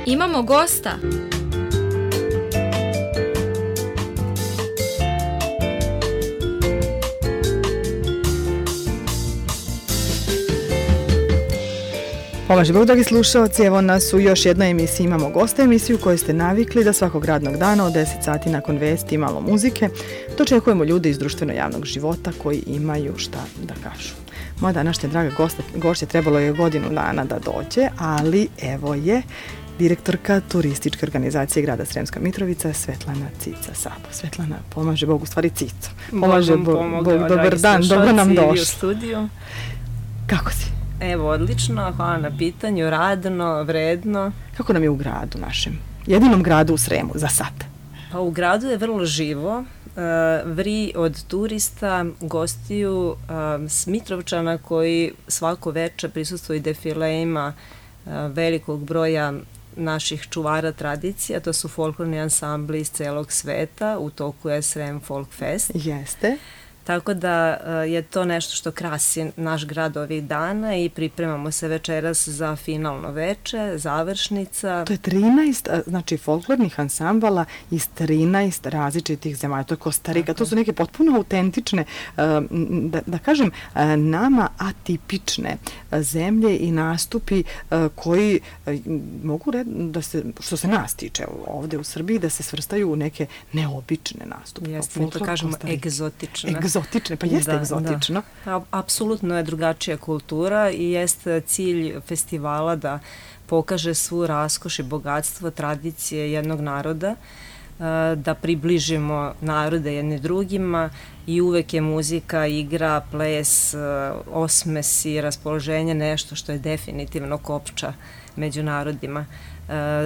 Imamo gosta. Pomaže Bog, dragi slušalci, evo nas u još jednoj emisiji Imamo gosta, emisiju koju ste navikli da svakog radnog dana od 10 sati nakon vesti i malo muzike dočekujemo ljude iz društveno-javnog života koji imaju šta da kažu. Moja današnja draga gošća trebalo je godinu dana da dođe, ali evo je direktorka turističke organizacije grada Sremska Mitrovica, Svetlana Cica Sabo. Svetlana, pomaže Bog, u stvari Cico. Pomaže Bog, dobar dan, dobro nam došli. U studiju. Kako si? Evo, odlično, hvala na pitanju, radno, vredno. Kako nam je u gradu našem? Jedinom gradu u Sremu, za sad. Pa u gradu je vrlo živo, vri od turista, gostiju, Mitrovčana koji svako večer prisustvuju defilejima velikog broja naših čuvara tradicija, to su folklorni ansambli iz celog sveta, u toku je Srem Folk Fest. Jeste. Tako da je to nešto što krasi naš grad ovih dana i pripremamo se večeras za finalno veče, završnica. To je 13, znači folklornih ansambala iz 13 različitih zemalja. To je Kostarika, to su neke potpuno autentične, da kažem, nama atipične zemlje i nastupi koji mogu da se, što se nas tiče ovde u Srbiji, da se svrstaju u neke neobične nastupe. Jeste, mi to kažemo egzotične. Egzotične, pa jeste egzotično. Da. Apsolutno je drugačija kultura i jeste cilj festivala da pokaže svu raskoš i bogatstvo tradicije jednog naroda, da približimo narode jedni drugima i uvek je muzika, igra, ples, osmes i raspoloženje nešto što je definitivno kopča među narodima.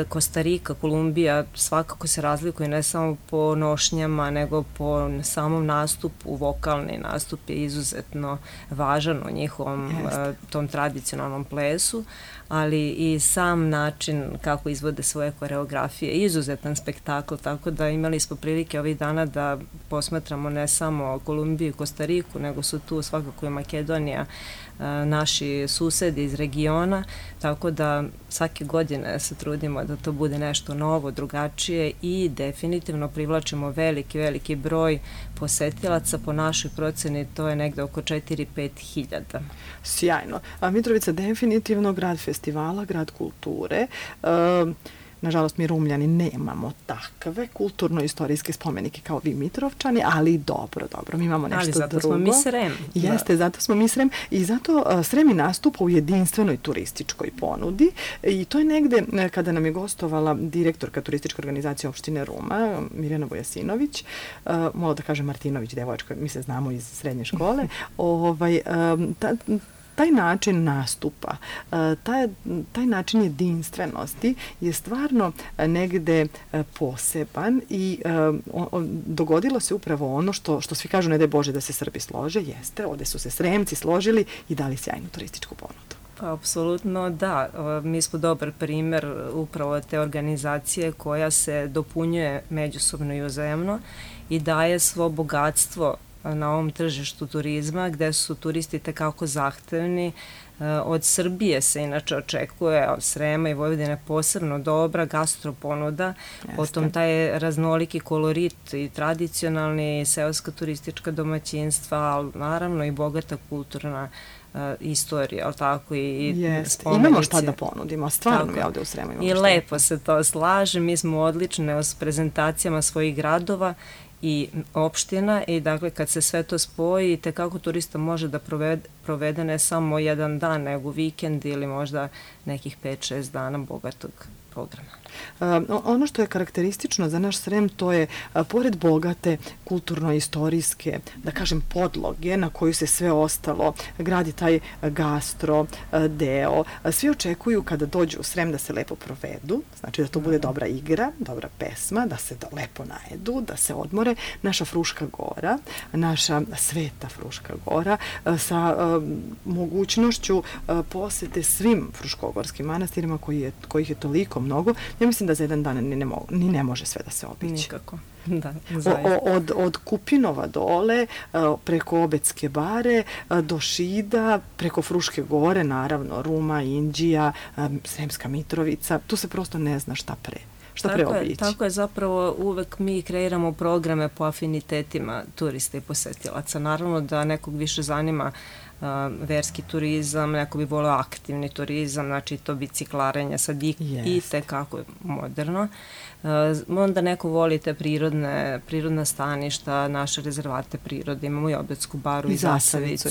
Kostarika, Kolumbija svakako se razlikuje ne samo po nošnjama, nego po samom nastupu. Vokalni nastup je izuzetno važan u njihovom tom tradicionalnom plesu, ali i sam način kako izvode svoje koreografije, izuzetan spektakl, tako da imali smo prilike ovih dana da posmatramo ne samo Kolumbiju i Kostariku, nego su tu svakako i Makedonija, naši susedi iz regiona, tako da svake godine se trudimo da to bude nešto novo, drugačije i definitivno privlačimo veliki broj posetilaca. Po našoj proceni to je negde oko 4-5 hiljada. Sjajno. A Mitrovica definitivno grad festivala, grad kulture. Nažalost, mi Rumljani nemamo takve kulturno-istorijske spomenike kao vi Mitrovčani, ali dobro, mi imamo nešto drugo. Ali zato smo mi Srem. Jeste, zato smo mi Srem i zato Srem i nastupa u jedinstvenoj turističkoj ponudi i to je negde kada nam je gostovala direktorka turističke organizacije opštine Ruma, Mirjana Vojasinović, malo da kažem Martinović, devojčka, mi se znamo iz srednje škole, taj način nastupa, taj način jedinstvenosti je stvarno negde poseban i dogodilo se upravo ono što svi kažu, ne daj Bože da se Srbi slože, jeste, ovde su se Sremci složili i dali sjajnu turističku ponudu. Pa, apsolutno da. Mi smo dobar primer upravo te organizacije koja se dopunjuje međusobno i uzajamno i daje svo bogatstvo na ovom tržištu turizma, gde su turisti tekako zahtevni. Od Srbije se inače očekuje, od Srema i Vojvodine posebno dobra gastroponuda, potom taj raznoliki kolorit i tradicionalni seoska turistička domaćinstva, ali naravno i bogata kulturna istorija, ali tako i spomenice. Imamo šta da ponudimo, stvarno mi ovde u Sremu imamo i lepo se to slaže, mi smo odlične s prezentacijama svojih gradova i opština i dakle kad se sve to spoji, tekako turista može da provede ne samo jedan dan, nego vikend ili možda nekih 5-6 dana bogatog programa. Ono što je karakteristično za naš Srem, to je pored bogate kulturno-istorijske, da kažem, podloge na koju se sve ostalo gradi taj gastro deo. Svi očekuju kada dođu u Srem da se lepo provedu, znači da to bude dobra igra, dobra pesma, da se lepo najedu, da se odmore. Naša Fruška gora, naša sveta Fruška gora sa mogućnošću posete svim fruškogorskim manastirima kojih je toliko mnogo. Ja mislim da za jedan dan ni ne može sve da se obići. Nikako. Da, od Kupinova dole, preko Obedske bare, do Šida, preko Fruške gore, naravno, Ruma, Inđija, Sremska Mitrovica, tu se prosto ne zna šta pre obići. Tako je, zapravo uvek mi kreiramo programe po afinitetima turista i posetilaca. Naravno da nekog više zanima verski turizam, neko bi volio aktivni turizam, znači to biciklarenje sad i tekako moderno. Onda neko voli te prirodna staništa, naše rezervate prirode, imamo i Obedsku baru i Zasavicu.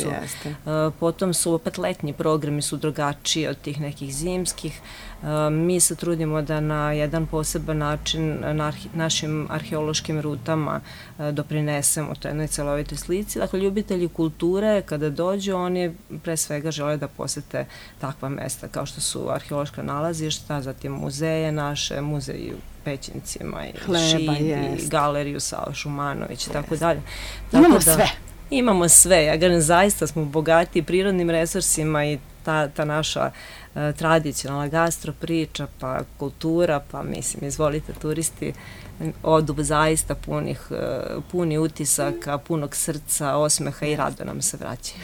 Potom su opet letnji programi su drugačiji od tih nekih zimskih. Mi se trudimo da na jedan poseban način našim arheološkim rutama doprinesemo to jednoj celovitoj slici. Dakle, ljubitelji kulture kada dođu, oni pre svega žele da posete takva mesta kao što su arheološka nalazišta, zatim muzeje naše, muzeji u Pećincima i Šid i galeriju Sava Šumanović i tako dalje. Imamo sve. Imamo sve. Ja kažem, zaista smo bogati prirodnim resursima i ta naša tradicionalna gastro priča, pa kultura, pa mislim, izvolite turisti, odu zaista puni utisaka, punog srca, osmeha i rado nam se vraćaju.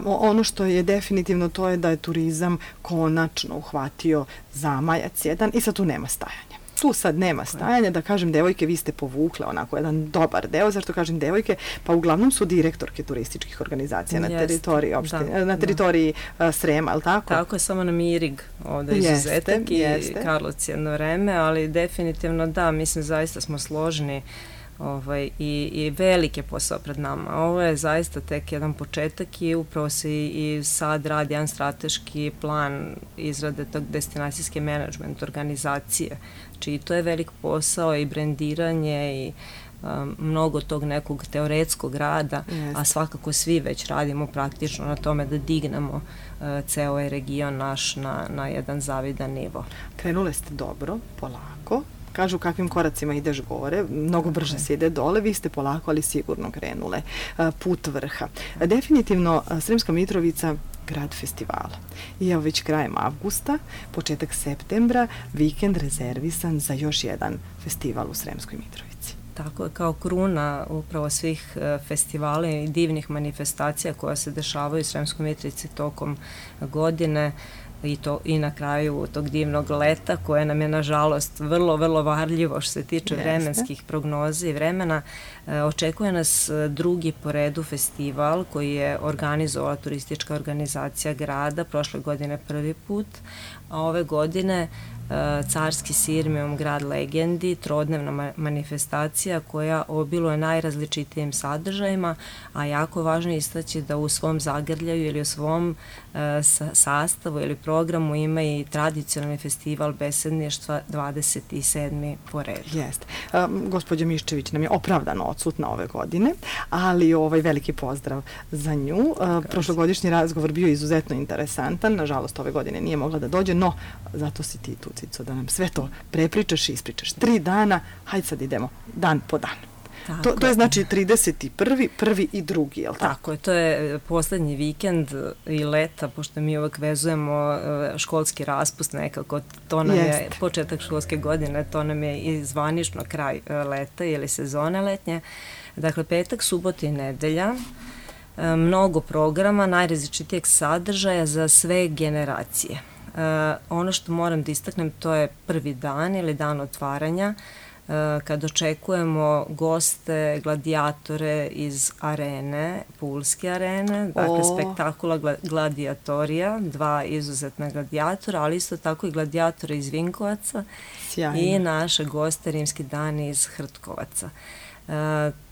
Ono što je definitivno to je da je turizam konačno uhvatio zamajac jedan i sad tu nema stajanja. Tu sad nema stajanja, da kažem devojke, vi ste povukle onako jedan dobar deo, zašto kažem devojke, pa uglavnom su direktorke turističkih organizacija na teritoriji opštine, na teritoriji Srema, ali tako? Tako je, samo nam je Irig ovdje izuzetak i Karlovac jedno vreme, ali definitivno da, mislim zaista smo složni i velik je posao pred nama. Ovo je zaista tek jedan početak i upravo se i sad radi jedan strateški plan izrade tog destinacijske menadžment organizacije, čiji to je velik posao i brendiranje i mnogo tog nekog teoretskog rada, a svakako svi već radimo praktično na tome da dignemo ceo ovaj region naš na jedan zavidan nivo. Krenule ste dobro, polako. Kažu kakvim koracima ideš gore, mnogo brže se ide dole, vi ste polako, ali sigurno krenule. Put vrha. Definitivno, Sremska Mitrovica, grad festivala. I evo već krajem avgusta, početak septembra, vikend rezervisan za još jedan festival u Sremskoj Mitrovici. Tako je, kao kruna upravo svih festivala i divnih manifestacija koja se dešavaju u Sremskoj Mitrovici tokom godine, i na kraju tog divnog leta koje nam je nažalost vrlo, vrlo varljivo što se tiče vremenskih prognoza i vremena. Očekuje nas drugi po redu festival koji je organizovala turistička organizacija grada, prošle godine prvi put, a ove godine Carski Sirmium, grad legendi, trodnevna manifestacija koja obiluje najrazličitijim sadržajima, a jako važno istaći da u svom zagrljaju ili u svom sastavu ili programu ima i tradicionalni festival besedništva 27. po redu. Jeste. Gospođa Miščević nam je opravdano odsutna ove godine, ali veliki pozdrav za nju. Prošlogodišnji razgovor bio izuzetno interesantan, nažalost ove godine nije mogla da dođe, no zato si ti tu, Cico, da nam sve to prepričaš i ispričaš. 3 dana, hajde sad idemo dan po dan. To je znači 31., 1. i 2. je li tako? Tako je, to je poslednji vikend i leta, pošto mi uvek vezujemo školski raspust nekako, to nam je početak školske godine, to nam je i zvanično kraj leta ili sezone letnje. Dakle, petak, subota i nedelja, mnogo programa, najrazličitijeg sadržaja za sve generacije. Ono što moram da istaknem, to je prvi dan ili dan otvaranja, kad očekujemo goste, gladiatore iz arene, Pulske arene, dakle spektakula gladiatorija, 2 izuzetna gladijatora, ali isto tako i gladijatora iz Vinkovaca i naše goste Rimski dani iz Hrtkovaca.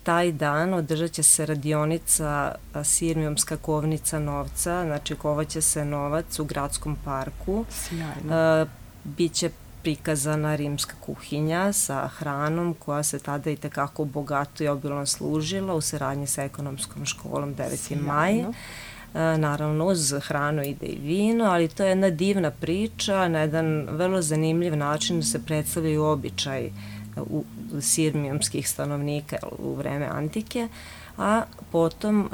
Taj dan održat će se radionica Sirmiumska kovnica novca, znači kovaće se novac u gradskom parku. Sjajno. Biće prikazana rimska kuhinja sa hranom koja se tada i tekako bogato i obilno služila u saradnji sa ekonomskom školom 9. maj. Naravno, uz hranu ide i vino, ali to je jedna divna priča, na jedan vrlo zanimljiv način se predstavljaju običaj sirmijumskih stanovnika u vreme antike, a potom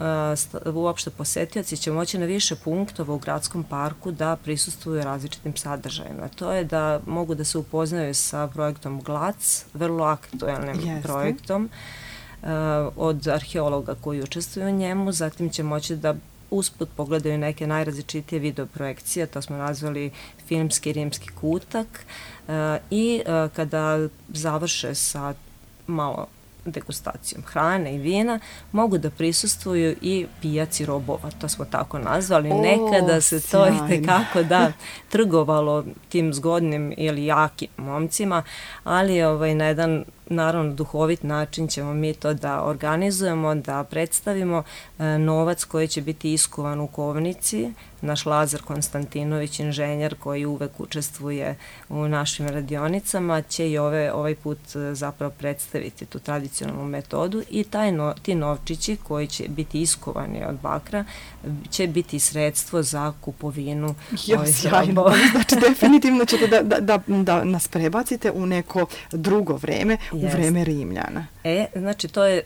uopšte posetioci će moći na više punktova u gradskom parku da prisustvuju različitim sadržajima. To je da mogu da se upoznaju sa projektom GLAC, vrlo aktuelnim projektom od arheologa koji učestvuju u njemu, zatim će moći da usput pogledaju neke najrazličitije videoprojekcije, to smo nazvali filmski rimski kutak, i kada završe sa malo degustacijom hrane i vina, mogu da prisustvuju i pijaci robova, to smo tako nazvali. Nekada se to i tekako trgovalo tim zgodnim ili jakim momcima, ali na jedan naravno duhovit način ćemo mi to da organizujemo, da predstavimo. Novac koji će biti iskovan u kovnici, naš Lazar Konstantinović, inženjer koji uvek učestvuje u našim radionicama, će i ovaj put zapravo predstaviti tu tradicionalnu metodu i ti novčići koji će biti iskovani od bakra će biti sredstvo za kupovinu ovih robova. Znači definitivno ćete da nas prebacite u neko drugo vreme, u vreme Rimljana. Znači to je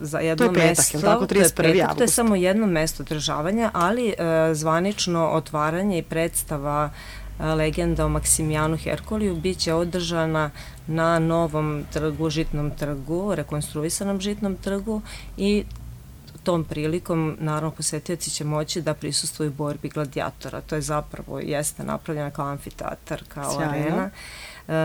za jedno mesto. To je petak, je li tako, 31. avgust? To je samo jedno mesto održavanja, ali zvanično otvaranje i predstava legenda o Maksimijanu Herkuliju biće održana na novom trgu, Žitnom trgu, rekonstruisanom Žitnom trgu, i tom prilikom, naravno, posetioci će moći da prisustvuju borbi gladijatora. To je zapravo, jeste napravljena kao amfiteatar, kao arena.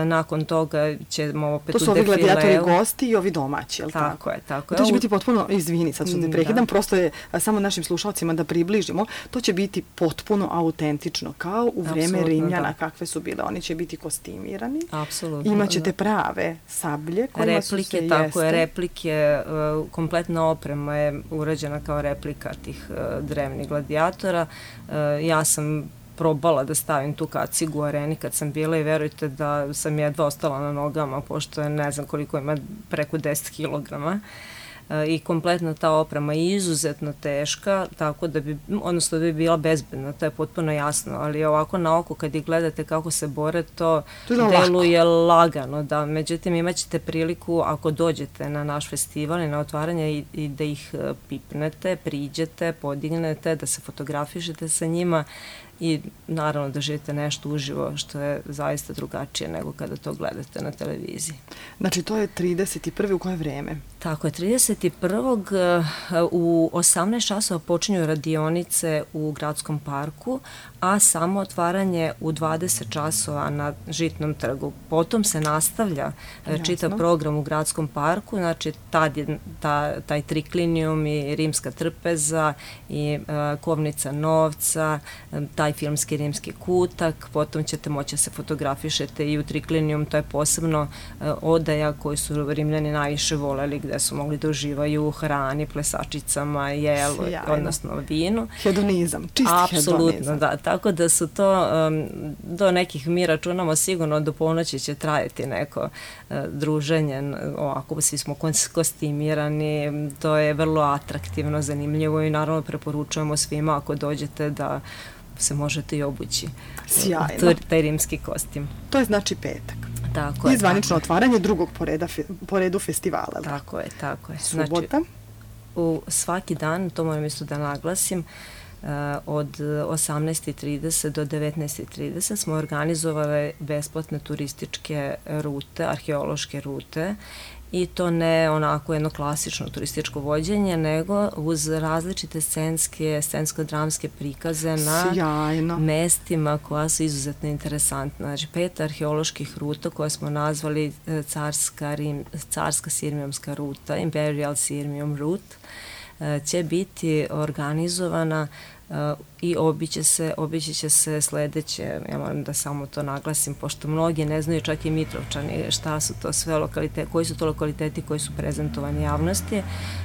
Nakon toga ćemo opet u defileu. To su ovi gladijatori gosti i ovi domaći, je li tako? Tako je. To će biti potpuno, izvini, sad su te prekidam, prosto je samo našim slušalcima da približimo, to će biti potpuno autentično, kao u vreme Rimljana, kakve su bile. Oni će biti kostimirani. Apsolutno. Imaćete prave sablje kojima su se jeste. Tako je, replike, kompletna oprema je urađena kao replika tih drevnih gladijatora. Ja sam probala da stavim tu kacigu u areni kad sam bila i verujte da sam jedva ostala na nogama, pošto je ne znam koliko ima, preko 10 kilograma. I kompletna ta oprema je izuzetno teška, tako da bi bila bezbedna, to je potpuno jasno, ali ovako na oko kad ih gledate kako se bore, to deluje lagano, da. Međutim, imat ćete priliku ako dođete na naš festival i na otvaranje i da ih pipnete, priđete, podignete, da se fotografišete sa njima i naravno da živite nešto uživo što je zaista drugačije nego kada to gledate na televiziji. Znači to je 31. u koje vreme? Tako je, 31. u 18 časova počinju radionice u gradskom parku, a samo otvaranje u 20 časova na Žitnom trgu. Potom se nastavlja čitav program u gradskom parku, znači tad je taj triklinijum i rimska trpeza i kovnica novca, taj filmski rimski kutak, potom ćete moći se fotografišete i u triklinijum, to je posebno odaja koju su Rimljani najviše voleli, gde su mogli da uživaju u hrani, plesačicama, jelu, odnosno vinu. Hedonizam, čisti hedonizam. Apsolutno, da. Tako da su to, do nekih mi računamo sigurno do ponoći će trajati neko druženje, ovako svi smo kostimirani, to je vrlo atraktivno, zanimljivo i naravno preporučujemo svima ako dođete da se možete i obući. Sjajno. Taj rimski kostim. To je znači petak. Tako je. I zvanično otvaranje drugog po redu festivala. Tako je. Subota? Znači, u svaki dan, to moram isto da naglasim, od 18:30 do 19:30 smo organizovali besplatne turističke rute, arheološke rute, i to ne onako jedno klasično turističko vođenje, nego uz različite scensko-dramske prikaze na mestima koja su izuzetno interesantna. Znači 5 arheoloških ruta koje smo nazvali carska sirmijumska ruta, Imperial Sirmium Route, će biti organizovana i obići će se sledeće, ja moram da samo to naglasim, pošto mnogi ne znaju, čak i Mitrovčani, šta su to sve lokaliteti, koji su to lokaliteti koji su prezentovani javnosti.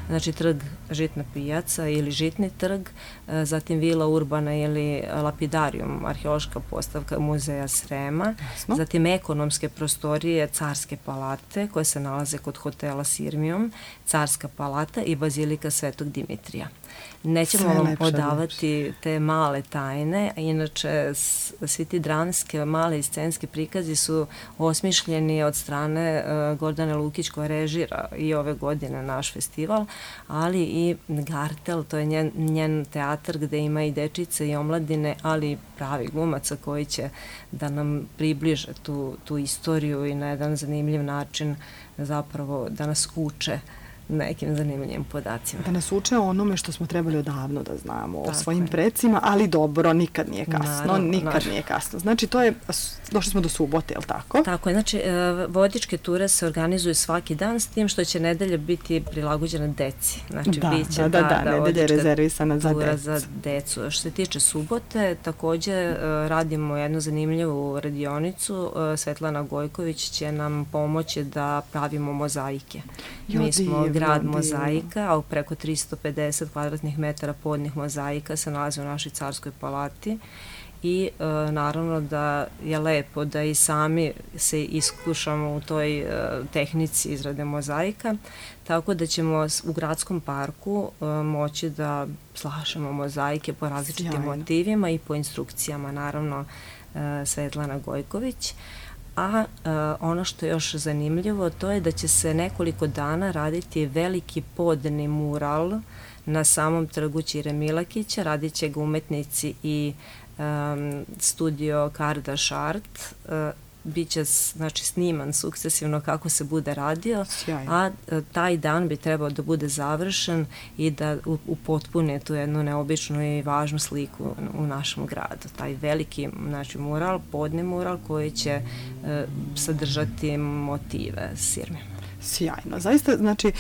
Znači trg Žitna pijaca ili Žitni trg, zatim Vila Urbana ili Lapidarium, arheološka postavka muzeja Srema, zatim ekonomske prostorije Carske palate koje se nalaze kod hotela Sirmijum, Carska palata i Bazilika Svetog Dimitrija. Nećemo vam odavati otkriti te male tajne. Inače, svi ti dramske, male i scenski prikazi su osmišljeni od strane Gordane Lukić, koja režira i ove godine naš festival, ali i Gartel, to je njen teatar gde ima i dečice i omladine, ali i pravi glumaca koji će da nam približe tu istoriju i na jedan zanimljiv način zapravo da nas uče nekim zanimljivim podacima. Da nas uče o onome što smo trebali odavno da znamo, o svojim precima, ali dobro, nikad nije kasno, nije kasno. Znači, došli smo do subote, je li tako? Tako je, znači, vodičke ture se organizuju svaki dan, s tim što će nedelja biti prilagođena deci. Znači, biće nedelja je rezervisana za decu. Što se tiče subote, takođe radimo jednu zanimljivu radionicu. Svetlana Gojković će nam pomoći da pravimo mozaike. Mi smo grad mozaika, a preko 350 kvadratnih metara podnih mozaika se nalazi u našoj Carskoj palati i naravno da je lepo da i sami se iskušamo u toj tehnici izrade mozaika, tako da ćemo u gradskom parku moći da slažemo mozaike po različitim motivima i po instrukcijama, naravno Svetlana Gojković. A ono što je još zanimljivo, to je da će se nekoliko dana raditi veliki podni mural na samom trgu Ćire Milakića. Radit će ga umetnici i studio Kardaš Art. Biće sniman sukcesivno kako se bude radio, a taj dan bi trebao da bude završen i da upotpuni tu jednu neobičnu i važnu sliku u našem gradu. Taj veliki mural, podni mural koji će sadržati motive Sirme. Sjajno. Zaista, znači,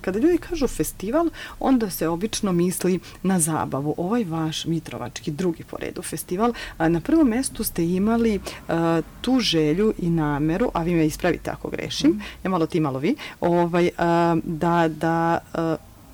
kada ljudi kažu festival, onda se obično misli na zabavu. Ovaj vaš Mitrovački, drugi po redu festival, na prvom mestu ste imali tu želju i nameru, a vi me ispravite ako grešim, ja malo ti, malo vi, da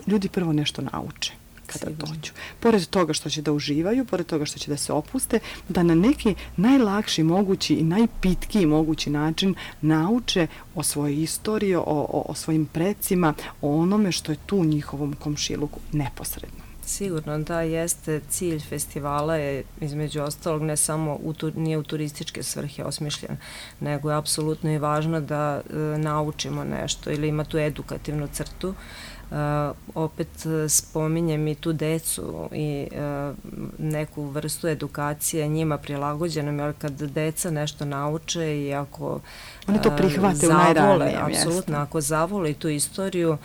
ljudi prvo nešto nauče kada dođu. Pored toga što će da uživaju, pored toga što će da se opuste, da na neki najlakši mogući i najpitkiji mogući način nauče o svojoj istoriji, o svojim precima, o onome što je tu u njihovom komšiluku neposredno. Sigurno da jeste cilj festivala je između ostalog ne samo nije u turističke svrhe osmišljen, nego je apsolutno i važno da naučimo nešto ili ima tu edukativnu crtu. Opet spominjem i tu decu i neku vrstu edukacije njima prilagođenom, jer kad deca nešto nauče i ako oni to prihvate u najranijem mjestu. Apsolutno, ako zavole tu istoriju,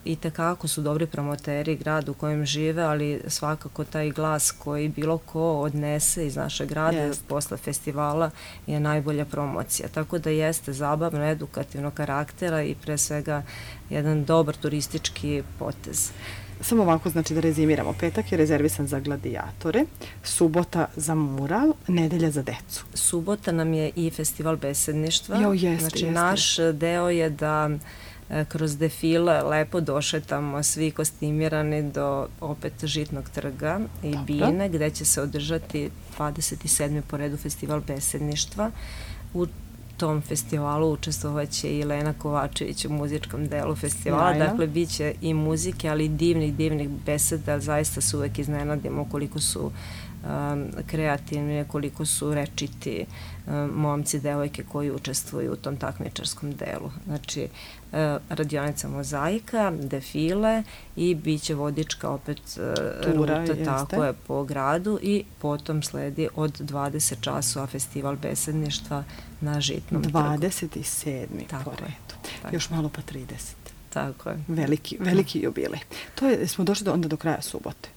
i tekako su dobri promoteri grada u kojem žive, ali svakako taj glas koji bilo ko odnese iz našeg grada posle festivala je najbolja promocija. Tako da jeste zabavno, edukativnog karaktera i pre svega jedan dobar turistički potez. Samo ovako, znači da rezimiramo. Petak je rezervisan za gladiatore, subota za mural, nedelja za decu. Subota nam je i festival besedništva. Znači naš deo je da kroz defile lepo došetamo svi kostimirani do opet Žitnog trga i Bine, gde će se održati 27. po redu festival besedništva. U tom festivalu učestvovaće i Lena Kovačević u muzičkom delu festivala. Dakle, bit će i muzike, ali i divnih beseda. Zaista se uvek iznenadimo koliko su kreativni, koliko su rečiti momci, devojke koji učestvuju u tom takmičarskom delu. Znači, radionica mozaika, defile i bit će vodička opet ruta, tako je, po gradu i potom sledi od 20 časova festival besedništva na Žitnom trgu. 27. po redu. Još malo pa 30. Tako je. Veliki jubilej. Smo došli onda do kraja subote.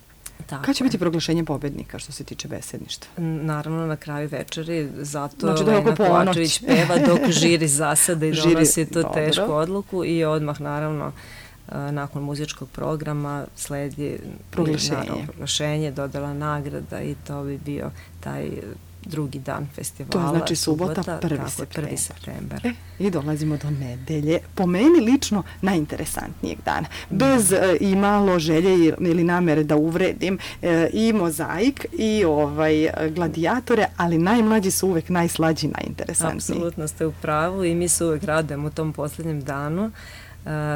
Kada će biti proglašenje pobednika što se tiče besedništva? Naravno na kraju večeri, zato Lena Kovačević peva dok žiri zasada i donosi tu tešku odluku i odmah naravno nakon muzičkog programa sledi proglašenje, dodala nagrada i to bi bio taj drugi dan festivala. To je znači subota, 1. septembar. I dolazimo do nedelje. Po meni lično najinteresantnijeg dana. Bez i malo želje ili namere da uvredim i mozaik i gladiatore, ali najmlađi su uvek najslađi i najinteresantniji. Apsolutno ste u pravu i mi se uvek radujemo u tom poslednjem danu.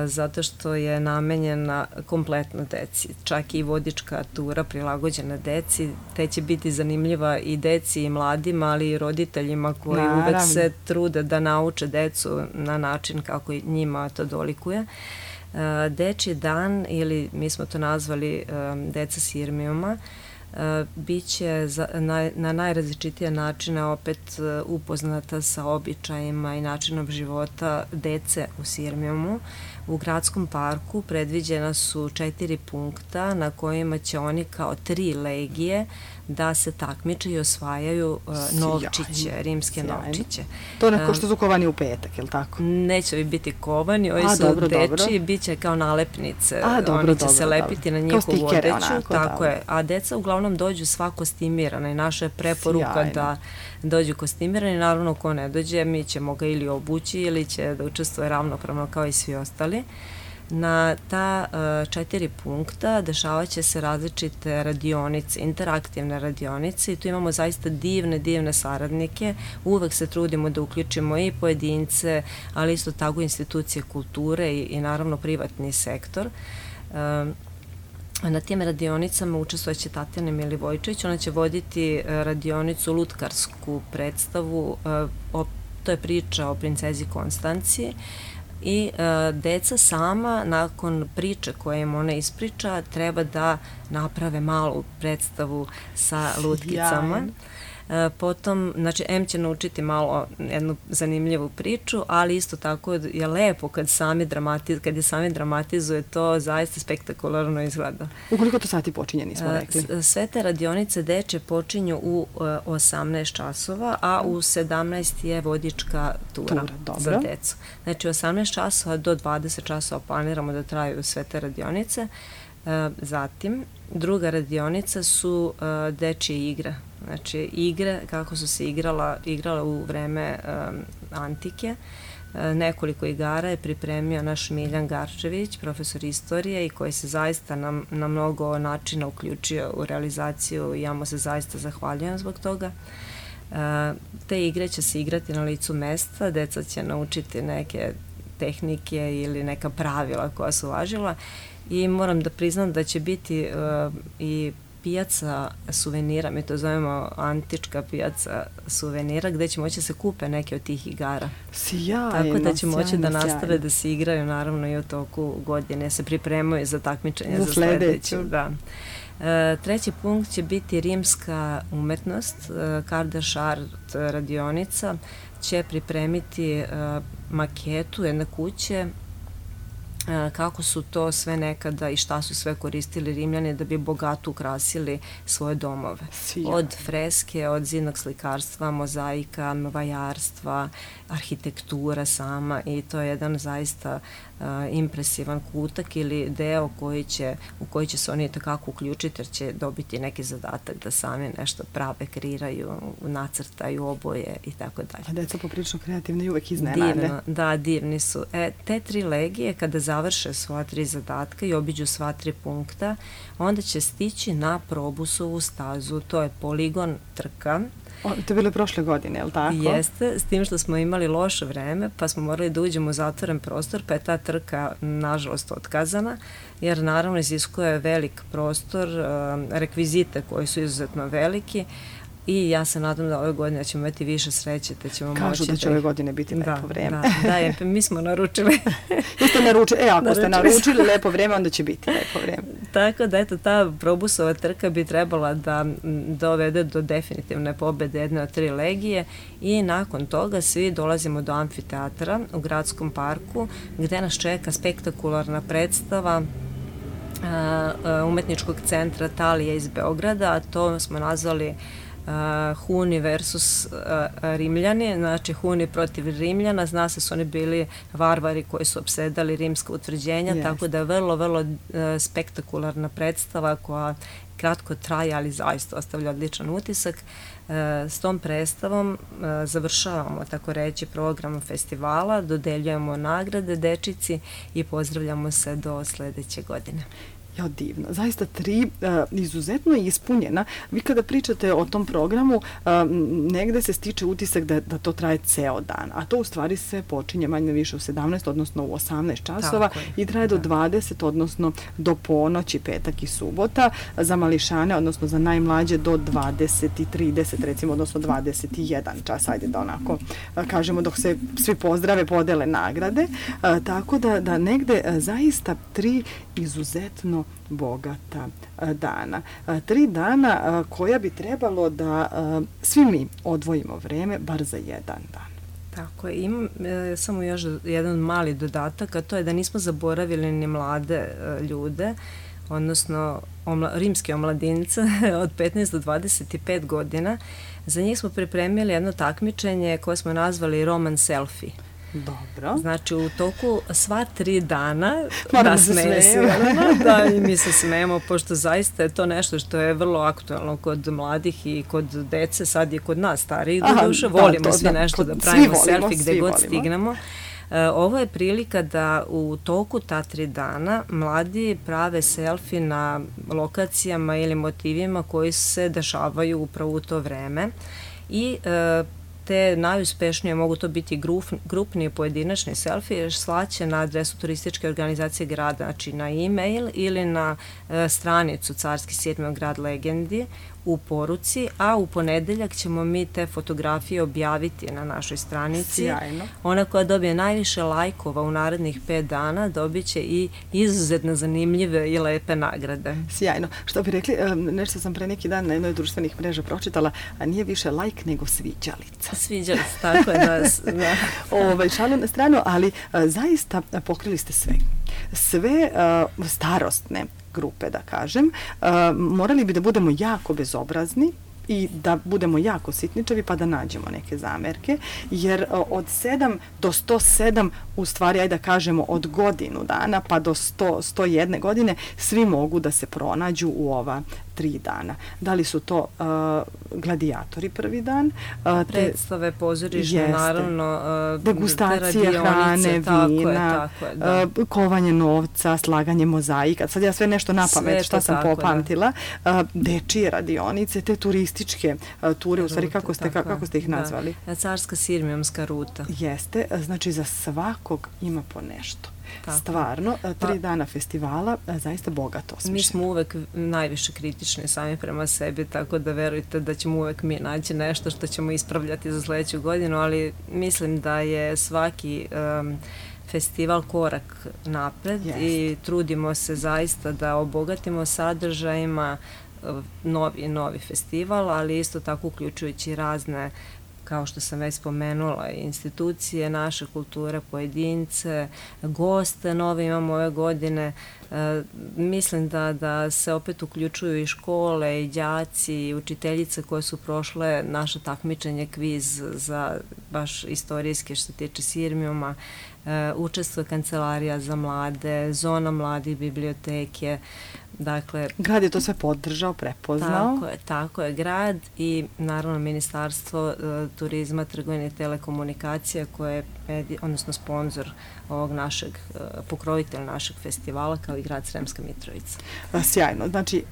zato što je namenjena kompletno deci. Čak i vodička tura prilagođena deci, te će biti zanimljiva i deci i mladima, ali i roditeljima koji uvek se trude da nauče decu na način kako njima to dolikuje. Dečji dan, ili mi smo to nazvali deca Sirmijuma, biće na najrazličitije načine opet upoznata sa običajima i načinom života dece u Sirmijumu. U gradskom parku predviđena su 4 punkta na kojima će oni kao 3 legije da se takmiče i osvajaju novčiće, rimske novčiće. To neko što su kovani u petak, je li tako? Neće ovi biti kovani, ovi su deči, bit će kao nalepnice, oni će se lepiti na njihovu odeću, tako je, a deca uglavnom dođu sva kostimirana i naša je preporuka da dođu kostimirani, naravno ko ne dođe, mi ćemo ga ili obući ili će da učestvuje ravnopravno kao i svi ostali. Na ta 4 punkta dešavat će se različite radionice, interaktivne radionice i tu imamo zaista divne saradnike. Uvek se trudimo da uključimo i pojedince, ali isto tako institucije kulture i naravno privatni sektor. Na tim radionicama učestvojeće Tatjana Milivojčević, ona će voditi radionicu lutkarsku predstavu, to je priča o princezi Konstanciji, i deca sama nakon priče koje im ona ispriča treba da naprave malu predstavu sa lutkicama. Potom, znači, M će naučiti malo jednu zanimljivu priču, ali isto tako je lepo kad je sami dramatizuje, to zaista spektakularno izgleda. U koliko to sati počinje, nismo rekli? Sve te radionice deče počinju u 18 časova, a u 17 je vodička tura za decu. Znači, 18 časova do 20 časova planiramo da traju sve te radionice. Zatim, druga radionica su dečje igre. Znači, igre kako su se igrala u vreme antike. Nekoliko igara je pripremio naš Miljan Garčević, profesor istorije, i koji se zaista na mnogo načina uključio u realizaciju i ja mu se zaista zahvaljujem zbog toga. Te igre će se igrati na licu mesta, deca će naučiti neke tehnike ili neka pravila koja su važila i moram da priznam da će biti i pijaca suvenira, mi to zovemo antička pijaca suvenira, gde će moći da se kupe neke od tih igara. Sjajno, tako da će moći da nastave da se igraju naravno i u toku godine, se pripremaju za takmičenje za sledeću. Da. Treći punkt će biti rimska umetnost. Kardaš Art radionica će pripremiti maketu jedne kuće, kako su to sve nekada i šta su sve koristili Rimljani da bi bogato ukrasili svoje domove. Od freske, od zidnog slikarstva, mozaika, vajarstva, arhitektura sama, i to je jedan zaista impresivan kutak ili deo u koji će se oni takako uključiti, jer će dobiti neki zadatak da sami nešto prave, kreiraju, nacrtaju, oboje i tako dalje. A deca poprilično kreativne i uvek iznenade. Divno, da, divni su. Te 3 legije kada završe svoja 3 zadatka i obiđu sva 3 punkta, onda će stići na Probusovu stazu, to je poligon trka. To je bilo prošle godine, je li tako? Jeste, s tim što smo imali loše vreme, pa smo morali da uđemo u zatvoren prostor, pa je ta trka nažalost otkazana, jer naravno iziskuje velik prostor, rekvizite koji su izuzetno veliki, i ja se nadam da ove godine ćemo imati više sreće, te ćemo moći da... Kažu da će ove godine biti lepo vreme. Da, mi smo naručili. Jeste naručili, ako ste naručili lepo vreme, onda će biti lepo vreme. Tako da, eto, ta Probusova trka bi trebala da dovede do definitivne pobede jedne od 3 legije, i nakon toga svi dolazimo do amfiteatra u gradskom parku, gde nas čeka spektakularna predstava umetničkog centra Talija iz Beograda, a to smo nazvali Huni versus Rimljani, znači Huni protiv Rimljana. Zna se su oni bili varvari koji su opsedali rimska utvrđenja, tako da je vrlo spektakularna predstava koja kratko traje, ali zaista ostavlja odličan utisak. S tom predstavom završavamo, tako reći, program festivala, dodeljujemo nagrade dečici i pozdravljamo se do sledeće godine. Ja, divno. Zaista 3 izuzetno ispunjena. Vi kada pričate o tom programu, negde se stiče utisak da to traje ceo dan, a to u stvari se počinje manje više u 17, odnosno u 18 časova i traje do 20, odnosno do ponoći, petak i subota, za mališane, odnosno za najmlađe do 20 i 30, recimo, odnosno 21 čas, ajde da onako kažemo, dok se svi pozdrave, podele nagrade, tako da negde zaista 3 izuzetno bogata dana. 3 dana koja bi trebalo da svi mi odvojimo vreme bar za jedan dan. Tako je, imam samo još jedan mali dodatak, a to je da nismo zaboravili ni mlade ljude, odnosno rimske omladince od 15 do 25 godina. Za njih smo pripremili jedno takmičenje koje smo nazvali Roman Selfie. Dobro. Znači, u toku sva 3 dana nasmeje se. Da, i mi se smejemo, pošto zaista je to nešto što je vrlo aktualno kod mladih i kod dece, sad je kod nas starijih, doduše volimo svi nešto da pravimo selfie gde god stignemo. Ovo je prilika da u toku ta 3 dana mladi prave selfie na lokacijama ili motivima koji se dešavaju upravo u to vreme i te najuspešnije mogu to biti grupni i pojedinačni selfie, slaće na adresu turističke organizacije grada, znači na e-mail ili na stranicu Carski Sirmium grad legendi u poruci, a u ponedeljak ćemo mi te fotografije objaviti na našoj stranici. Sjajno. Ona koja dobije najviše lajkova u narednih 5 dana dobit će i izuzetno zanimljive i lepe nagrade. Sjajno. Što bi rekli, nešto sam pre neki dan na jednoj društvenih mreža pročitala, a nije više lajk nego sviđalica. Sviđalica, tako je da. Šalu na stranu, ali zaista pokrili ste sve. Sve starostne grupe, da kažem, morali bi da budemo jako bezobrazni i da budemo jako sitničavi pa da nađemo neke zamerke, jer od 7 do 107, u stvari, ajde da kažemo, od godinu dana pa do 101 godine, svi mogu da se pronađu u ova 3 dana. Da li su to gladijatori prvi dan? Predstave pozorišne, naravno. Degustacija hrane, vina, kovanje novca, slaganje mozaika. Sad ja sve nešto na pamet šta sam popamtila. Dečije radionice, te turističke ture, u stvari kako ste ih nazvali? Carska Sirmijumska ruta. Jeste, znači za svakog ima po nešto. Stvarno, 3 dana festivala, zaista bogato osmišljeno. Mi smo uvek najviše kritični sami prema sebi, tako da verujte da ćemo uvek mi naći nešto što ćemo ispravljati za sledeću godinu, ali mislim da je svaki festival korak napred i trudimo se zaista da obogatimo sadržajima novi festival, ali isto tako uključujući razne, kao što sam već spomenula, institucije, naše kulture, pojedince, goste nove imamo ove godine. Mislim da se opet uključuju i škole, i đaci, i učiteljice koje su prošle naše takmičenje, kviz za baš istorijske što se tiče Sirmijuma. Učestvuje kancelarija za mlade, zona mladih, biblioteke. Dakle, grad je to sve podržao, prepoznao. Tako je, grad i naravno Ministarstvo turizma, trgovine i telekomunikacija koje je, odnosno sponsor ovog našeg, pokrovitelj našeg festivala, kao i grad Sremska Mitrovica. Sjajno, znači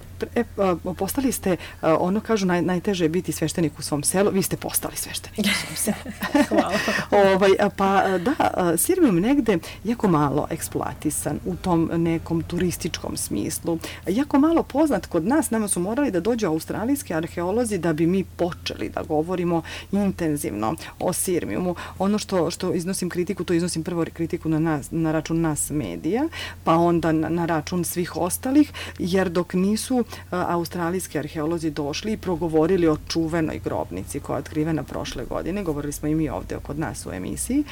postali ste, ono kažu, najteže je biti sveštenik u svom selu, vi ste postali sveštenik u svom selu. Hvala. Pa da, Sirmijum negde jako malo eksploatisan u tom nekom turističkom smislu, jako malo poznat kod nas. Nama su morali da dođu australijski arheolozi da bi mi počeli da govorimo intenzivno o Sirmijumu. Ono što iznosim kritiku, to iznosim prvo kritiku na račun nas medija, pa onda na račun svih ostalih, jer dok nisu australijski arheolozi došli i progovorili o čuvenoj grobnici koja je otkrivena prošle godine, govorili smo i mi ovde kod nas u emisiji,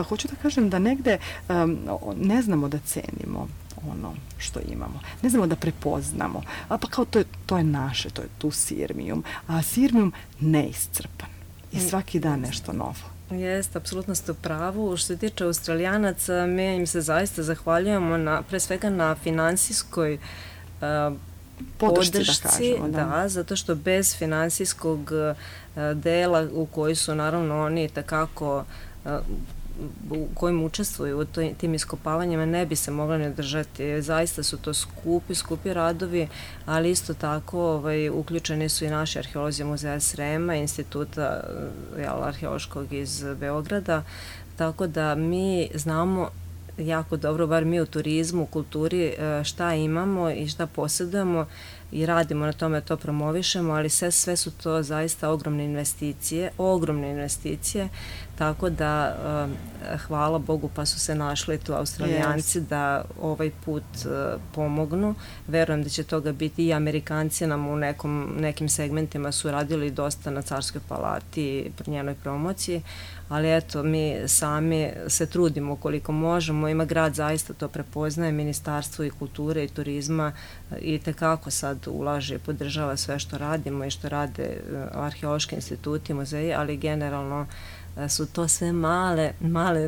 hoću da kažem da negde ne znamo da cenimo ono što imamo. Ne znamo da prepoznamo. Pa kao to je naše, to je tu Sirmijum. A Sirmijum neiscrpan. I svaki dan nešto novo. Jeste, apsolutno ste u pravu. Što se tiče Australijanaca, mi im se zaista zahvaljujemo pre svega na finansijskoj podršci, da, zato što bez finansijskog dela u koji su naravno oni takako u kojim učestvuju u tim iskopavanjima ne bi se mogla ne držati. Zaista su to skupi radovi, ali isto tako uključeni su i naši arheolozi Muzeja Srema, Instituta arheološkog iz Beograda, tako da mi znamo jako dobro, bar mi u turizmu, u kulturi, šta imamo i šta posjedujemo i radimo na tome, to promovišemo, ali sve su to zaista ogromne investicije, tako da hvala Bogu pa su se našli tu Australijanci da ovaj put pomognu. Verujem da će toga biti i Amerikanci nam u nekim segmentima su radili dosta na Carskoj palati i njenoj promociji, ali eto, mi sami se trudimo koliko možemo, ima grad zaista to prepoznaje, Ministarstvo i kulture i turizma i tekako sad ulaže i podržava sve što radimo i što rade arheološki instituti, muzeji, ali generalno su to sve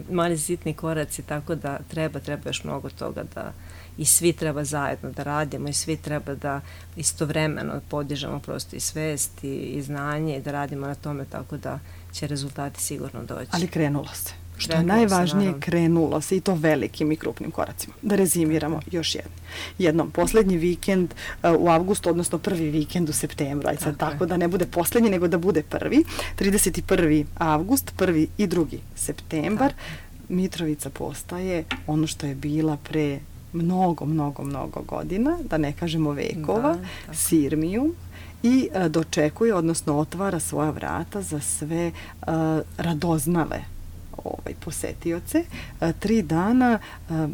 mali sitni koraci, tako da treba još mnogo toga da i svi treba zajedno da radimo i svi treba da istovremeno podižemo prosto i svest i znanje i da radimo na tome, tako da će rezultati sigurno doći. Ali krenulo se. Što je najvažnije, krenulo se i to velikim i krupnim koracima. Da rezimiramo još jednom. Poslednji vikend u avgustu, odnosno prvi vikend u septembru, aj sad tako da ne bude poslednji, nego da bude prvi. 31. avgust, 1. i 2. septembar. Mitrovica postaje ono što je bila pre mnogo godina, da ne kažemo vekova, Sirmijum, i dočekuje, odnosno otvara svoja vrata za sve radoznale posetioce. 3 dana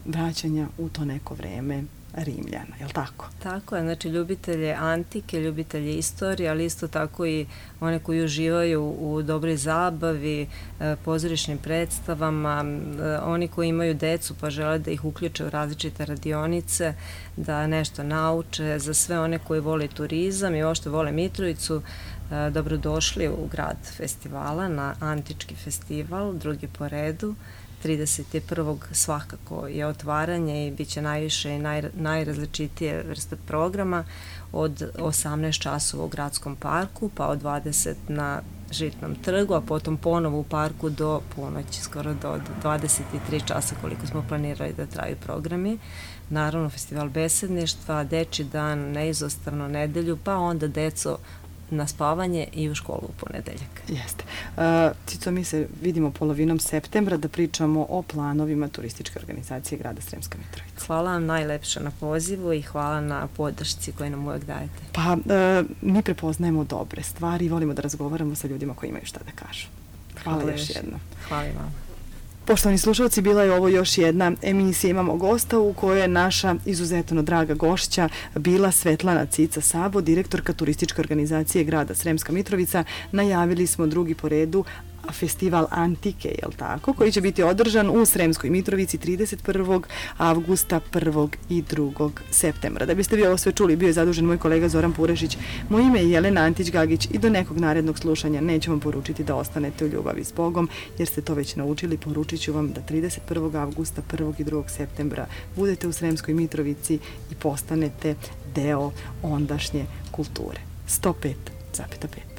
vraćanja u to neko vreme Rimljana, je li tako? Tako je, znači ljubitelje antike, ljubitelje istorije, ali isto tako i one koji uživaju u dobroj zabavi, pozorišnim predstavama, oni koji imaju decu pa žele da ih uključe u različite radionice, da nešto nauče, za sve one koji vole turizam i uopšte vole Mitrovicu, dobrodošli u grad festivala na Antički festival, drugi po redu. 31. svakako je otvaranje i bit će najviše i najrazličitije vrste programa od 18 časova u gradskom parku, pa od 20 na Žitnom trgu, a potom ponovo u parku do ponoći, skoro do 23 časa koliko smo planirali da traju programi. Naravno, festival besedništva, dečji dan, neizostavno nedelju, pa onda deco na spavanje i u školu u ponedeljak. Jeste. Cico, mi se vidimo polovinom septembra da pričamo o planovima turističke organizacije grada Sremska Mitrovica. Hvala vam najlepše na pozivu i hvala na podršci koju nam uvek dajete. Pa, mi prepoznajemo dobre stvari i volimo da razgovaramo sa ljudima koji imaju šta da kažu. Hvala još jednom. Hvala i vam. Poštovani slušalci, bila je ovo još jedna emisija Imamo gosta u kojoj je naša izuzetno draga gošća bila Svetlana Cica Sabo, direktorka turističke organizacije grada Sremska Mitrovica. Najavili smo drugi po redu festival Antike, jel tako, koji će biti održan u Sremskoj Mitrovici 31. avgusta, 1. i 2. septembra. Da biste vi ovo sve čuli, bio je zadužen moj kolega Zoran Purešić. Moje ime je Jelena Antić-Gagić i do nekog narednog slušanja neću vam poručiti da ostanete u ljubavi s Bogom, jer ste to već naučili. Poručit ću vam da 31. avgusta, 1. i 2. septembra budete u Sremskoj Mitrovici i postanete deo ondašnje kulture. 105,5.